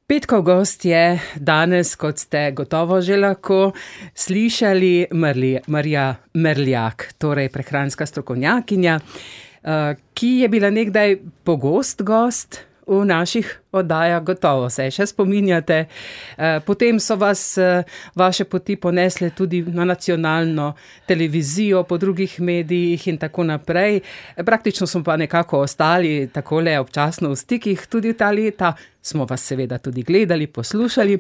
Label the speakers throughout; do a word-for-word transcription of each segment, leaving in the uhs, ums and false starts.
Speaker 1: Petkov gost je danes, kot ste gotovo že lahko slišali, Marli, Marija Merljak, torej prehranska strokovnjakinja, ki je bila nekdaj pogost gost v naših oddajah, gotovo se še spominjate. Potem so vas vaše poti ponesle tudi na nacionalno televizijo, po drugih medijih in tako naprej. Praktično smo pa nekako ostali takole občasno v stikih, tudi ta leta smo vas seveda tudi gledali, poslušali.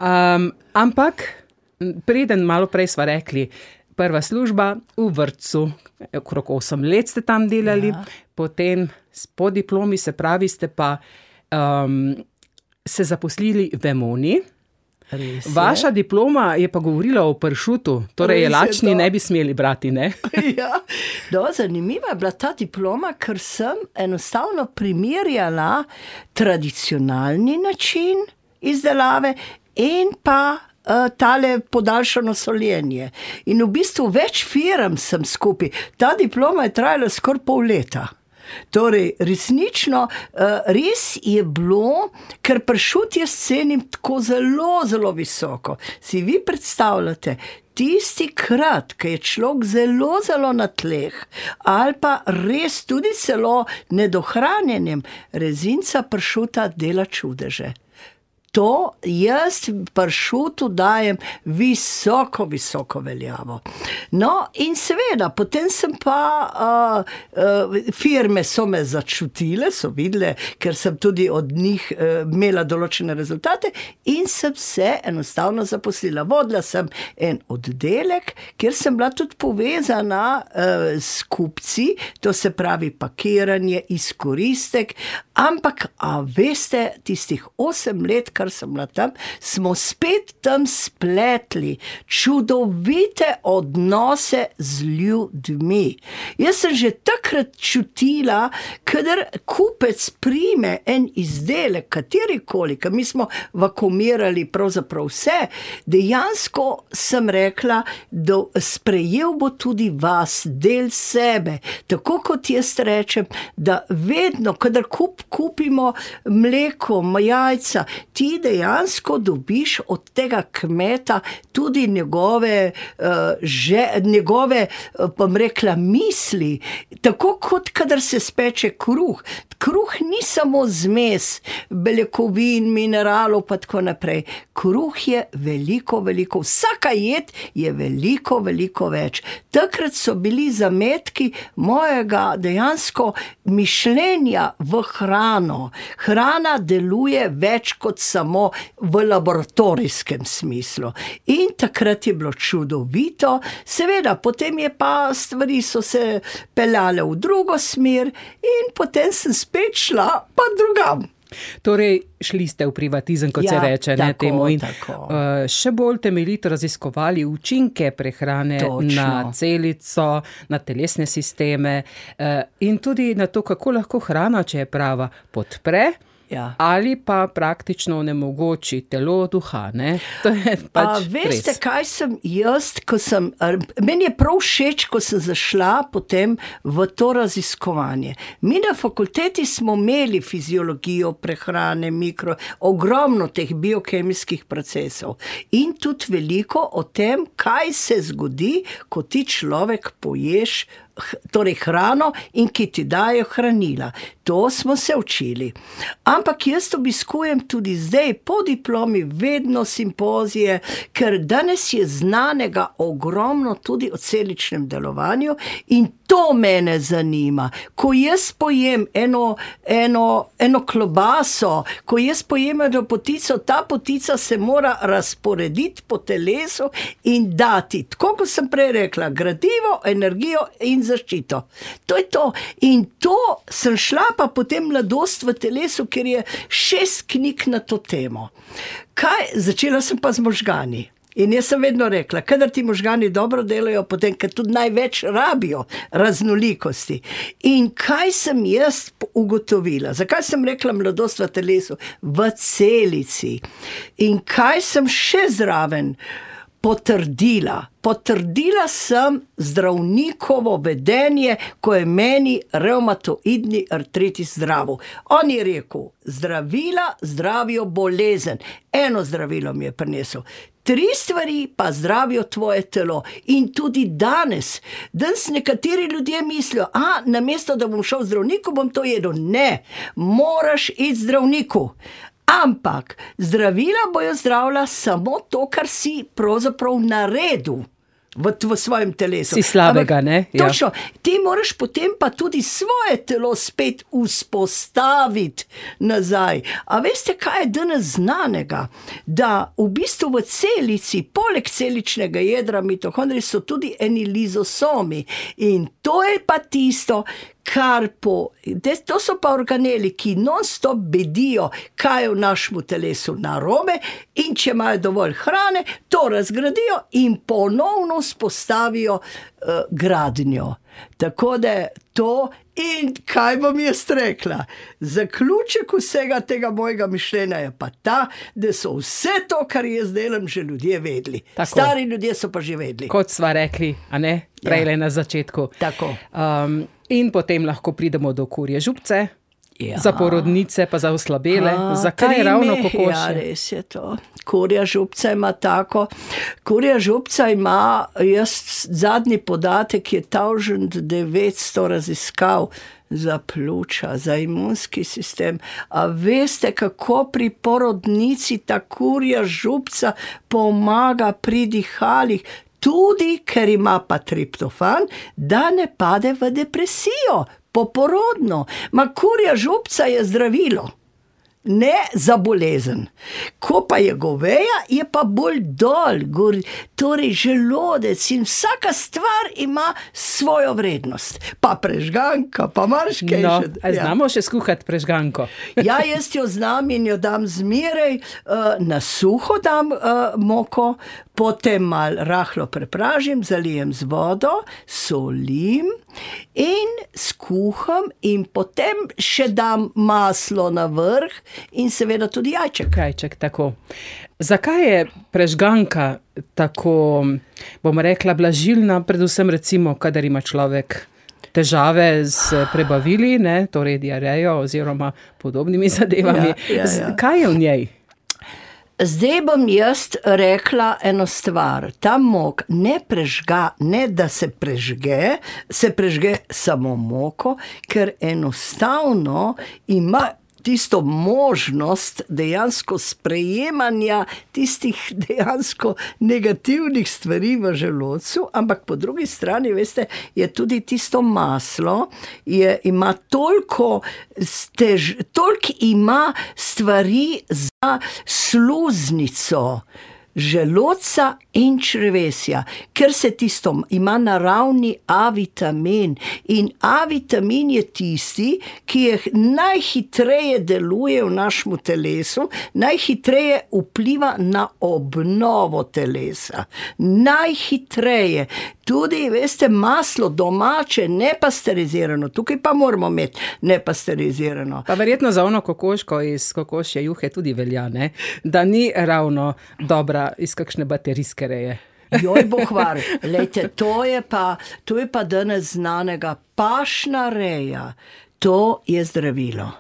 Speaker 1: Um, ampak, preden malo prej sva rekli, prva služba v vrtcu, okrog osem let ste tam delali, ja. Potem po diplomi, se pravi, ste pa um, se zaposlili v Emoni. Vaša diploma je pa govorila o pršutu, torej je lačni ne bi smeli brati, ne?
Speaker 2: Ja, no, zanimiva je bila ta diploma, ker sem enostavno primerjala tradicionalni način izdelave in pa uh, tale podaljšano soljenje. In v bistvu več firm sem skupaj. Ta diploma je trajala skoraj pol leta. Torej, resnično, res je bilo, ker pršut jaz cenim tako zelo, zelo visoko. Si vi predstavljate, tisti krat, ko je človek zelo, zelo na tleh, ali pa res tudi celo nedohranjenem, rezinca pršuta dela čudeže. To jaz pršutu dajem visoko, visoko veljavo. No, in seveda, potem sem pa, uh, uh, firme so me začutile, so videle, ker sem tudi od njih uh, imela določene rezultate in sem se enostavno zaposlila. Vodila sem en oddelek, kjer sem bila tudi povezana uh, s kupci, to se pravi pakiranje, izkoristek, ampak, a veste, tistih osem let, kar sem bila tam, smo spet tam spletli čudovite odnose z ljudmi. Jaz sem že takrat čutila, kadar kupec prime en izdelek, katerikoli, ker mi smo vakuumirali pravzaprav vse, dejansko sem rekla, da sprejel bo tudi vas, del sebe, tako kot jaz rečem, da vedno, kadar kup, kupimo mleko, jajca, ti dejansko dobiš od tega kmeta tudi njegove, uh, že, njegove, uh, pa bom rekla, misli, tako kot kadar se speče kruh. Kruh ni samo zmes beljakovin, mineralov pa tako naprej. Kruh je veliko, veliko, vsaka jed je veliko, veliko več. Takrat so bili zametki mojega dejansko mišljenja v hrano. Hrana deluje več kot samo v laboratorijskem smislu. In takrat je bilo čudovito. Seveda, potem je pa stvari so se peljale v drugo smer in potem sem spet šla pa drugam.
Speaker 1: Torej, šli ste v privatizem, kot ja, se reče, ne,
Speaker 2: tako,
Speaker 1: temu, in
Speaker 2: tako.
Speaker 1: Uh, še bolj temeljito raziskovali učinke prehrane
Speaker 2: Točno.
Speaker 1: Na celico, na telesne sisteme uh, in tudi na to, kako lahko hrana, če je prava, podpre. Ja. Ali pa praktično onemogoči telo, duha, ne? To je pač
Speaker 2: A, veste,
Speaker 1: res.
Speaker 2: kaj sem jaz, ko sem, meni je prav všeč, ko sem zašla potem v to raziskovanje. Mi na fakulteti smo imeli fiziologijo prehrane, mikro, ogromno teh biokemijskih procesov in tudi veliko o tem, kaj se zgodi, ko ti človek poješ torej hrano in ki ti dajo hranila. To smo se učili. Ampak jaz obiskujem tudi zdaj po diplomi vedno simpozije, ker danes je znanega ogromno tudi o celičnem delovanju in to mene zanima. Ko jaz pojem eno, eno, eno klobaso, ko jaz pojem eno potico, ta potica se mora razporediti po telesu in dati, tako kot sem prej rekla, gradivo, energijo in zaščito. To je to. In to sem šla pa potem mladost v telesu, ker je šest knjig na to temo. Kaj? Začela sem pa z možgani. In jaz sem vedno rekla, kadar ti možgani dobro delajo, potem, ker tudi največ rabijo raznolikosti. In kaj sem jaz ugotovila? Zakaj sem rekla mladost v telesu? V celici. In kaj sem še zraven potrdila. Potrdila sem zdravnikovo vedenje, ko je meni revmatoidni artritis zdravil. On je rekel, zdravila zdravijo bolezen. Eno zdravilo mi je prinesel. Tri stvari pa zdravijo tvoje telo. In tudi danes, danes nekateri ljudje mislijo, a namesto da bom šel zdravniku, bom to jedel. Ne, moraš iti zdravniku. Ampak zdravila bojo zdravila samo to, kar si pravzaprav naredil v, v svojem telesu.
Speaker 1: Si slabega,
Speaker 2: Ampak,
Speaker 1: ne? Ja.
Speaker 2: Točno. Ti moraš potem pa tudi svoje telo spet vzpostaviti nazaj. A veste, kaj je danes znanega? Da v bistvu v celici, poleg celičnega jedra mitohondrij, so tudi eni lizosomi. In to je pa tisto, kar po, to so pa organeli, ki non-stop bedijo, kaj je v našemu telesu narobe, in če imajo dovolj hrane, to razgradijo in ponovno spostavijo uh, gradnjo. Tako da to, in kaj bom jaz rekla, zaključek vsega tega mojega mišljenja je pa ta, da so vse to, kar jaz delam, že ljudje vedeli.
Speaker 1: Tako.
Speaker 2: Stari ljudje so pa že vedeli.
Speaker 1: Kot sva rekli, a ne? Prejle
Speaker 2: Ja.
Speaker 1: na začetku.
Speaker 2: Tako.
Speaker 1: Um, in potem lahko pridemo do kurje župce,
Speaker 2: Ja.
Speaker 1: za porodnice pa za oslabele.
Speaker 2: A,
Speaker 1: Zakaj
Speaker 2: tri
Speaker 1: ravno
Speaker 2: mehe,
Speaker 1: kokoši?
Speaker 2: Ja, res je to. Kurja župca ima tako. Kurja župca ima, jaz zadnji podatek je tisoč devetsto raziskav za pljuča, za imunski sistem. A veste, kako pri porodnici ta kurja župca pomaga pri dihalih? Tudi, ker ima pa triptofan, da ne pade v depresijo, poporodno. Ma kurja župca je zdravilo, ne za bolezen. Ko pa je goveja, je pa bolj dol, gor, torej želodec in vsaka stvar ima svojo vrednost. Pa prežganka, pa marškej.
Speaker 1: No, a znamo še skuhati prežganko?
Speaker 2: Ja, jaz jo znam in jo dam zmeraj, uh, na suho dam uh, moko, potem mal rahlo prepražim, zalijem z vodo, solim in skuham in potem še dam maslo na vrh in seveda tudi jajček.
Speaker 1: Jajček, tako. Zakaj je prežganka tako, bom rekla, blažilna, predvsem recimo, kadar ima človek težave z prebavili, ne, torej diarejo oziroma podobnimi zadevami.
Speaker 2: Ja, ja, ja.
Speaker 1: Z- Kaj je v njej?
Speaker 2: Zdaj bom jaz rekla eno stvar. Ta mok ne prežga, ne da se prežge, se prežge samo moko, ker enostavno ima tisto možnost dejansko sprejemanja tistih dejansko negativnih stvari v želodcu, ampak po drugi strani, veste, je tudi tisto maslo, je, ima toliko, stež, toliko ima stvari za sluznico želodca in črevesja, ker se tisto ima naravni A vitamin in A vitamin je tisti, ki je najhitreje deluje v našem telesu, najhitreje vpliva na obnovo telesa. Najhitreje. Tudi, veste, maslo domače, nepasterizirano, tukaj pa moramo imeti nepasterizirano.
Speaker 1: Pa verjetno za ono kokoško iz kokošje juhe tudi velja, ne? Da ni ravno dobra iz kakšne baterijske reje.
Speaker 2: Joj, bo hvar. Lejte, to je pa, to je pa danes znanega. Pašna reja, to je zdravilo.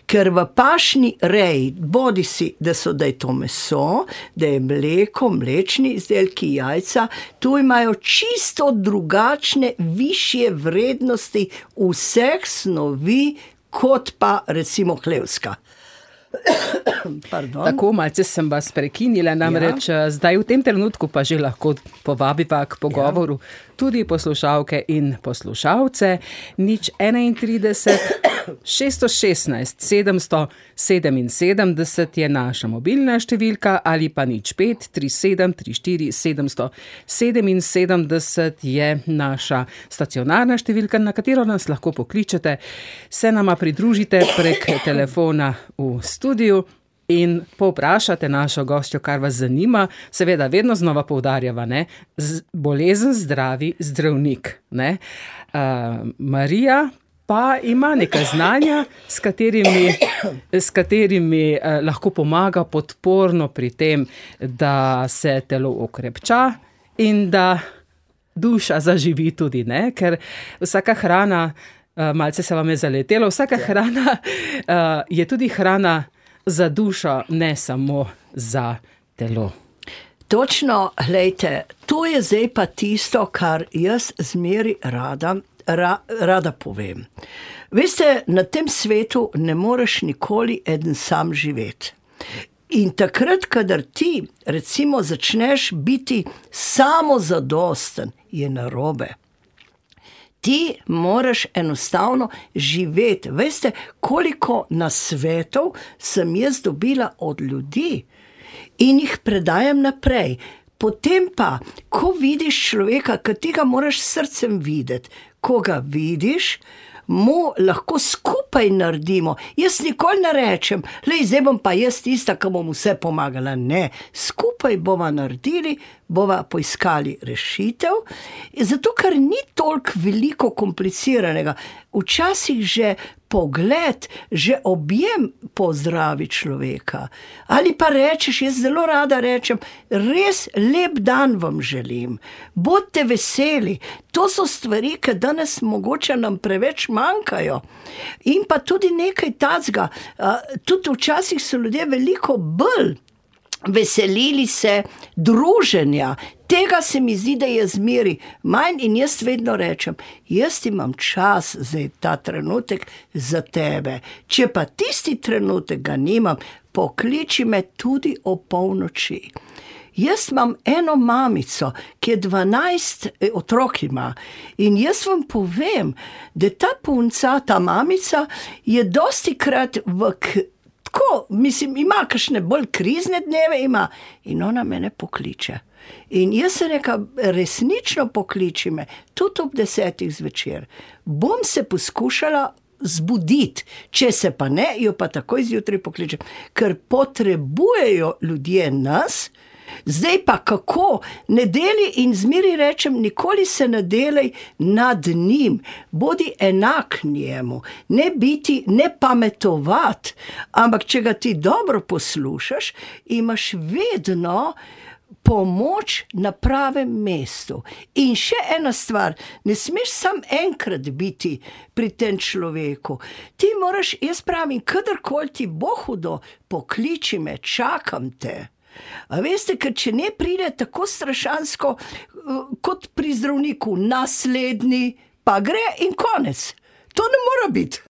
Speaker 2: Ker v pašni reji, bodi si, da so, da je to meso, da je mleko, mlečni izdelki, jajca, tu imajo čisto drugačne, višje vrednosti vseh snovi, kot pa recimo hlevska. Pardon.
Speaker 1: Tako, malce sem vas prekinila, namreč ja. Zdaj v tem trenutku pa že lahko povabiva k pogovoru ja. Tudi poslušalke in poslušalce. Nič enaintrideset, šeststo šestnajst, sedemsto sedeminsedemdeset je naša mobilna številka ali pa nič pet, tri sedem, tri štiri, sedemsto sedeminsedemdeset je naša stacionarna številka, na katero nas lahko pokličete, se nama pridružite prek telefona v studiu in povprašate našo gostjo, kar vas zanima. Seveda, vedno znova poudarjava, ne? Z, bolezen zdravi zdravnik. Ne? Uh, Marija pa ima nekaj znanja, s katerimi, s katerimi eh, lahko pomaga podporno pri tem, da se telo okrepča in da duša zaživi tudi, ne? Ker vsaka hrana, eh, malce se vam je zaletelo, vsaka hrana eh, je tudi hrana za dušo, ne samo za telo.
Speaker 2: Točno, glejte, to je zdaj pa tisto, kar jaz zmeri rada, ra, rada povem. Veste, na tem svetu ne moreš nikoli eden sam živeti. In takrat, kadar ti, recimo, začneš biti samozadosten, je narobe. Ti moraš enostavno živeti. Veste, koliko nasvetov sem jaz dobila od ljudi in jih predajam naprej. Potem pa, ko vidiš človeka, ki ti ga moraš s srcem videti, ko ga vidiš, mu lahko skupaj naredimo. Jaz nikoli ne rečem, lej, zdaj bom pa jaz tista, ki bom vse pomagala. Ne, skupaj bova naredili, bova poiskali rešitev, zato ker ni toliko veliko kompliciranega. Včasih že pogled, že objem pozdravi človeka. Ali pa rečeš, jaz zelo rada rečem, res lep dan vam želim, bodite veseli. To so stvari, ki danes mogoče nam preveč manjkajo. In pa tudi nekaj tacga, tudi včasih so ljudje veliko bolj veselili se druženja. Tega se mi zdi, da je zmeri manj in jaz vedno rečem, jaz imam čas zdaj ta trenutek za tebe. Če pa tisti trenutek ga nimam, pokliči me tudi o polnoči. Jaz imam eno mamico, ki je dvanajst otrok ima in jaz vam povem, da ta punca, ta mamica je dostikrat v tako, mislim, ima kakšne bolj krizne dneve, ima in ona mene pokliče. In jaz se reka, resnično pokliči me, tudi ob desetih zvečer. Bom se poskušala zbuditi, če se pa ne, jo pa takoj zjutraj pokličem, ker potrebujejo ljudje nas. Zdaj pa kako, ne deli in zmeri rečem, nikoli se ne delaj nad njim, bodi enak njemu, ne biti, ne pametovati, ampak če ga ti dobro poslušaš, imaš vedno pomoč na pravem mestu. In še ena stvar, ne smeš sam enkrat biti pri tem človeku. Ti moraš, jaz pravim, kadarkoli ti bo hudo, pokliči me, čakam te. A veste, ker če ne pride tako strašansko, kot pri zdravniku, naslednji, pa gre in konec. To ne mora biti.